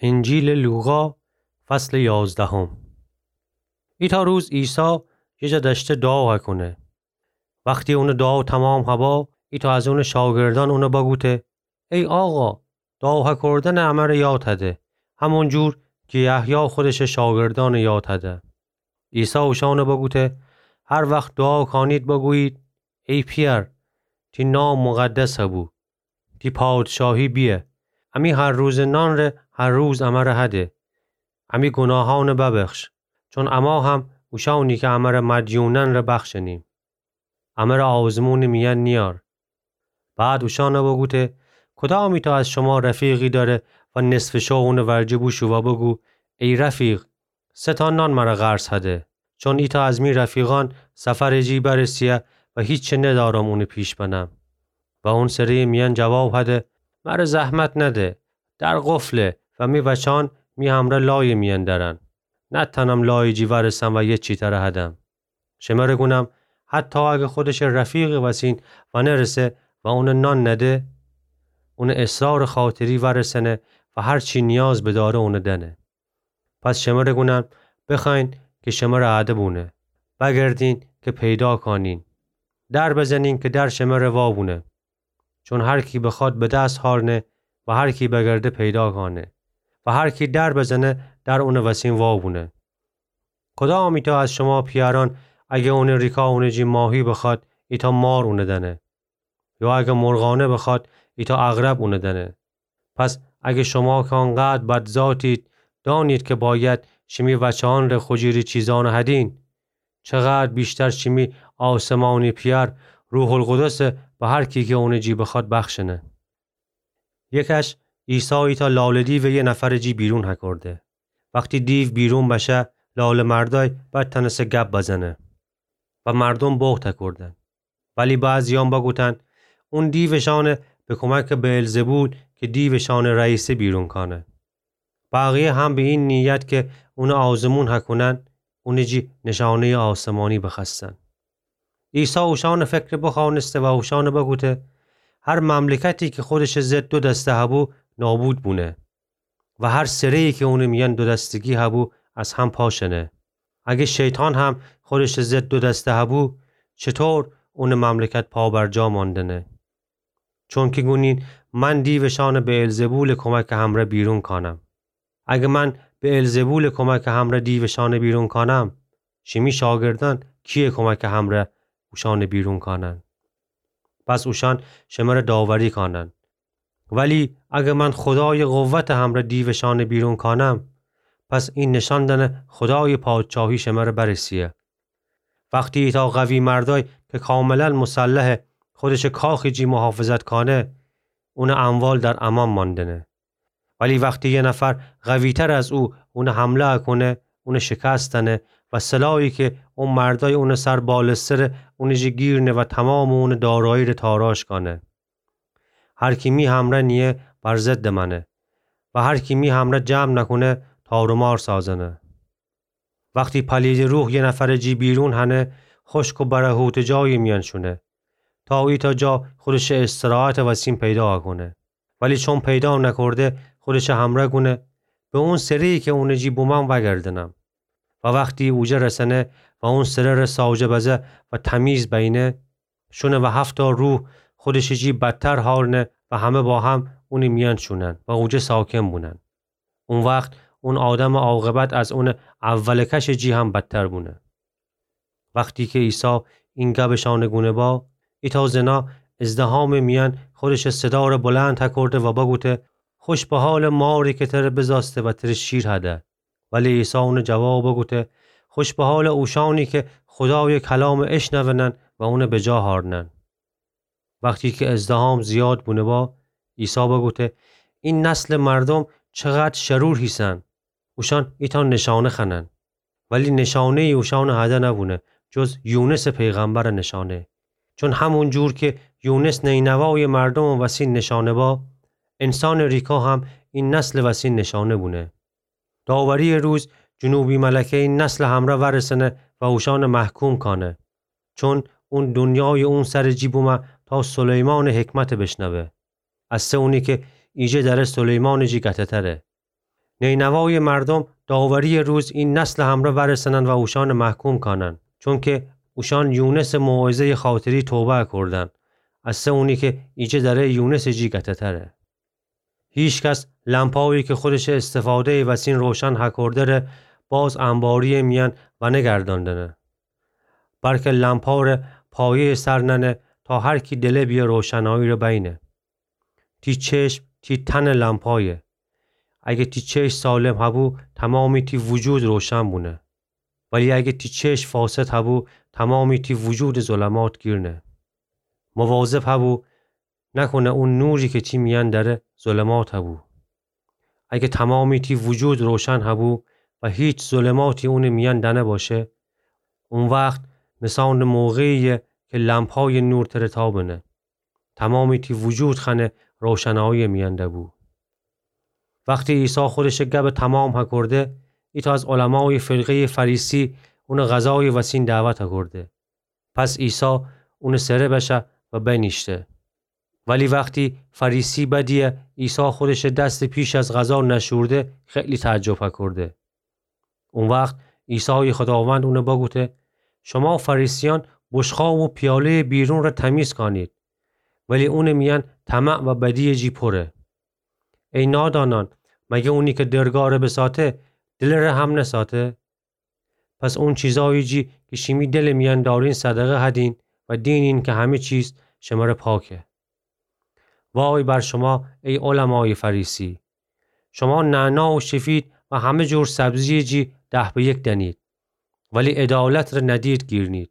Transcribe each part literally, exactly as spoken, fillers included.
انجیلٚ لوقا، فصلٚ یازدهم. ایتأ روز عیسی یه جا دأشته دوعا هکونه. وختی اونٚ دوعا تومام هبا، ایتأ از اونٚ شاگردأن اونه بگوته: ای آقا، دوعا هکردنٚ امره یاد هده، همون جور کی یحیی خودشٚ شاگردأنٚ یاد هده. عیسی اوشأنٚ بگوته: هر وخت دوعا کانید بگویید: ای پیأر، تی نام مقدس هبو، تی پادشاهی بیه. امی هر روزٚ نانٚ ره هر روز امره هده. امی گوناهأنٚ ببخش، چون اما هم اوشأنی کی امره مدیونن ره بخشنیم. امره آزمونٚ میأن نیأر. بعد اوشأنٚ بگوته: کدام ایتأ از شما رفیقی دأره و نصفٚ شو اونٚ ورجه بوشو و بگو: ای رفیق، سه تا نان مره قرض هده، چون ایتأ از می رفیقأن سفرٚ جی برسه‌یه و هیچی ندأرم اونٚ پیش بنم. و اون سره‌یٚ میأن جواب هده: مره زحمت نده، در قفله و می وچأن می همرأ لایٚ میأن دأرن. نتأنم لایٚ جی ورسم و یه چی تره هدم. شمره گونم، حتی اگه خودشٚ رفیقٚ وسین ونرسه و اونه نان نده، اونٚ اصرارٚ خاطری ورسنه و هر چی نیاز بدأره اونه دأنه. پس شمره گونم، بخوأیین کی شمره اَده بونه، بگردین کی پیدا کانین، در بزنین کی در شمره وا بونه. چون هر کی بخوأد به دس هارنه و هر کی بگرده پیدا کانه و هر کی در بزنه در اونٚ وسین وا بونه. کدام ایتأ از شما پیأرأن اگه اونٚ ریکا اونٚ جی ماهی بخوأد، ایتأ مار اونه دأنه؟ یا اگه مرغانه بخوأد، ایتأ عقرب اونه دأنه؟ پس اگه شما کی انقدر بدذاتید، دأنید کی باید شیمی وچه‌یأن ره خو جیری چیزأنه هدین، چقدر ویشتر شیمی آسمانی پیأر روح‌القدسه به هر کی کی اونٚ جی بخوأد بخشنه. یه کش عیسی ایتأ لاله‌دیوٚ یه نفرٚ جی بیرون هکرده. وختی دیو بیرون بشه، لاله‌مردأی بتأنسه گب بزنه و مردوم بهت هکردن. ولی بعضی‌یأن بگوتن: اون دیوٚ شأنه به کمکٚ بعلزبول کی دیوٚ شأنٚ رئیسه بیرون کأنه. بقیه هم به این نیت کی اونٚ آزمون هکونن، اونٚ جی نشانه‌یٚ آسمانی بخوأستن. عیسی اوشأنٚ فکر بخوأنسته و اوشأنٚ بگوته: هر مملکتی کی خودشٚ ضد دو دسته هبو، نابود بونه و هر سره‌یی کی اونٚ میأن دو دستگی هبو، از هم پاشنه. اگه شیطان هم خودشٚ ضد دو دسته هبو، چطور اونٚ مملکت پابرجا ماندنه؟ چونکی گونین من دیوٚ شأنه بعلزبولٚ کمکٚ همرأ بیرون کأنم. اگه من بعلزبولٚ کمکٚ همرأ دیوٚ شأنه بیرون کأنم، شیمی شاگردأن کیه کمکٚ همرأ اوشأنه بیرون کأنن؟ پس اوشأن شمره داوری کأنن. ولی اگه من خودایٚ قوتٚ همرأ دیوٚ شأنه بیرون کأنم، پس این نشان دأنه خودایٚ پادشاهی شمره برسه‌یه. وختی ایتأ قوی مردأی کی کاملاً مسلحه، خودشٚ کاخٚ جی محافظت کأنه، اونٚ اموال در امأن ماندنه. ولی وختی یه نفر قوی‌تر از او اونه حمله کونه، اونه شکست دأنه و سلاحی کی او مردأی اونٚ سر بالستره، اونٚ جی گیر نه و تومامٚ اونٚ دارایی ره تاراج کأنه. هر کی می همرأ نییه، بر ضدٚ مأنه و هر کی می همرأ جمع نکونه، تار و مار سازنه. وختی پلیدٚ روح یه نفرٚ جی بیرون هنه، خشک و برهوتٚ جایی میأن شونه، تا ایتأ جا خودشٚ استراحتٚ وسین پیدا کونه. ولی چون پیدا نکرده، خودشٚ همرأ گونه به اون سره‌یی کی اونٚ جی بومم وأگردنم. و وختی اوجه رسنه و اون سره ره ساوجه بزه و تمیز بینه، شونه و هفتا روح خودشٚ جی بدتر هارنه و همه با هم اونٚ میأن شونن و اوجه ساکن بونن. او وخت اون آدمٚ عاقبت از اونٚ اولٚ کشٚ جی هم بدتر بونه. وختی کی عیسی این گبٚ شأنه گونه با، ایتأ زنا ازدحامٚ میأن خودشٚ صدا ره بلند هکرده و بگوته: خوش به حالٚ ماری کی تره بزاسته و تره شیر هده. ولی عیسی اونه جواب بگوته: خوش به حالٚ اوشأنی کی خودایٚ کلامه اشنونن و اونه بجا هارنن. وختی کی ازدحام زیاد بونه با، عیسی بگوته: این نسلٚ مردوم چقدر شرور هیسن! اوشأن ایتأ نشانه خوأنن، ولی نشانه‌یی اوشأنٚ هده نبونه، جز یونسٚ پیغمبرٚ نشانه. چون همون جور کی یونس نینوایٚ مردومٚ وسین نشانه با، انسانٚ ریکا هم این نسلٚ وسین نشانه بونه. داوری‌یٚ روز جنوبی ملکه این نسلٚ همرأ ورسنه و اوشأنٚ محکوم کأنه. چون اون دونیایٚ اون سرٚ جی بومه تا سلیمانٚ حکمته بشنوه. اسه اونی کی ایجه دره سلیمانٚ جی گته‌تره. نینوای مردوم داوری روز ای نسل همره ورسنن و اوشان محکوم کانن، چونکه اوشان یونس موعظه‌ی خاطری توبه کردن، از سه اونی که ایجه دره یونس جی گته‌تره. هیچ کس لمپایی که خودش استفاده‌ی وسین روشن هکرده ره باز انباری میان ونگرداندنه، بلکه لمپا ره پایه‌ی سر ننه تا هر کی دله بیه روشنایی ره بینه. تی چشم تی تن لمپایه. اگه تی چشم سالم هبو، تمامی تی وجود روشن بونه. ولی اگه تی چشم فاسد هبو، تمامی تی وجود ظلمات گیرنه. مواظب هبو نکنه اون نوری که تی میان دره ظلمات هبو. اگه تمامی تی وجود روشن هبو و هیچ ظلماتی اون میان دنه باشه، اون وقت مثان موقعیه که لمپای نور تره تابنه. تمامی تی وجود خنه روشنایی میان دبو. وقتی عیسی خودش گب تمام هکرده، ایتأ از علمای فرقه‌ی فریسی اون غذای وسین دعوت هکرده. پس عیسی اون سره بشه و بنیشته. ولی وقتی فریسی بدیه عیسی خودش دست پیش از غذا نشورده، خیلی تعجب هکرده. اون وقت عیسی خداوند اون بگوته: شما فریسیان بشقاب و پیاله‌ی بیرون ره تمیز کانید، ولی اون میان طمع و بدی جی پره. ای نادانان، مگه اونی که درگاه ره بساته، دل ره هم نساته؟ پس اون چیزایی جی که شیمی دل میان دارین صدقه هدین و دینین که همه چیز شمره پاکه. وای بر شما ای علمای فریسی! شما نعنا و شفید و همه جور سبزی جی ده به یک دنید، ولی عدالت ره ندید گیرنید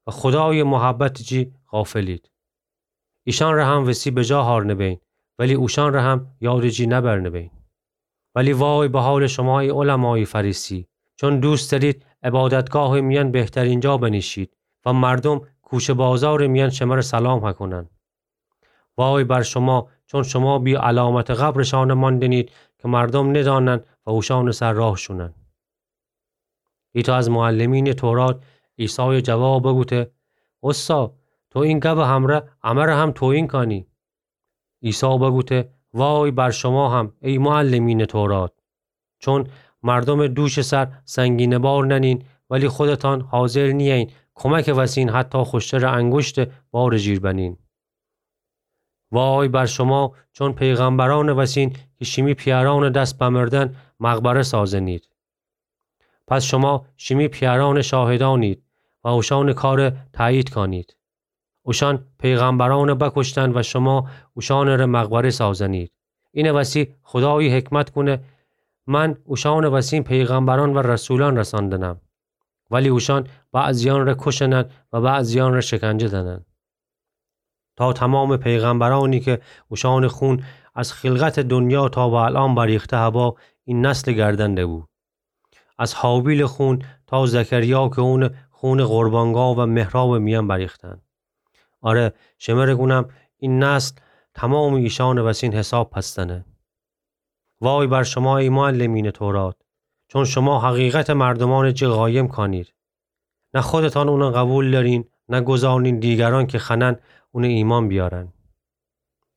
و خدای محبت جی غافلید. ایشان ره هم وسی بجا هارنه بین، ولی اوشان ره هم یاد جی نبرنه بین. ولی وای به حال شما ای علمای فریسی! چون دوست دارید عبادتگاه میان بهترین جا بنیشید و مردم کوچه بازار میان شمره سلام هکنن. وای بر شما! چون شما بی علامت قبرشان ماندنید که مردم ندانن و اوشان سر راه شونن. ایتأ از معلمین تورات عیسای جواب بگوته: استا، تو این گب همره امره هم توهین کانی. عیسی بگوته: وای بر شما هم ای معلمین تورات! چون مردم دوش سر سنگین بار ننین، ولی خودتان حاضر نیین کمک وسین حتی خوشتر انگشت بار جیر بنین. وای بر شما! چون پیغمبران وسین که شیمی پیاران دست بمردن مقبره سازنید. پس شما شیمی پیاران شاهدانید و اوشان کار تأیید کانید. اوشان پیغمبران بکشتن و شما اوشان ره مقبره سازنید. این وسی خدای حکمت کونه: من اوشان وسین پیغمبران و رسولان رساندنم، ولی اوشان بعضیان ره کشنن و بعضیان ره شکنجه دنن. تا تمام پیغمبرانی که اوشان خون از خلقت دنیا تا به الان بریخته هبا این نسل گردن دبو. از هابیل خون تا زکریا که اون خون قربانگاه و محراب میان بریختن. آره، شمره گونم این نسل تمام ایشان وسین حساب پستنه. وای بر شما ای معلمین تورات! چون شما حقیقت مردمان جی قایم کانید. نه خودتان اون قبول دارین، نه گذارنین دیگران که خنن اون ایمان بیارن.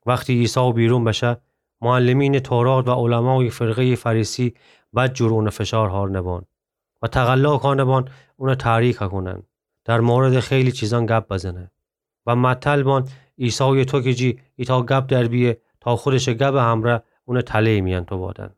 وقتی عیسی بیرون بشه، معلمین تورات و علمای فرقه‌ی فریسی بدجور اون فشار هارنه بان و تقلا کانه بان اون تحریک هکونن. در مورد خیلی چیزان گپ بزنه و متل بان عیسای توکه جی ایتأ گپ در بیه تا خودش گب همره اون تله میان تو بادن.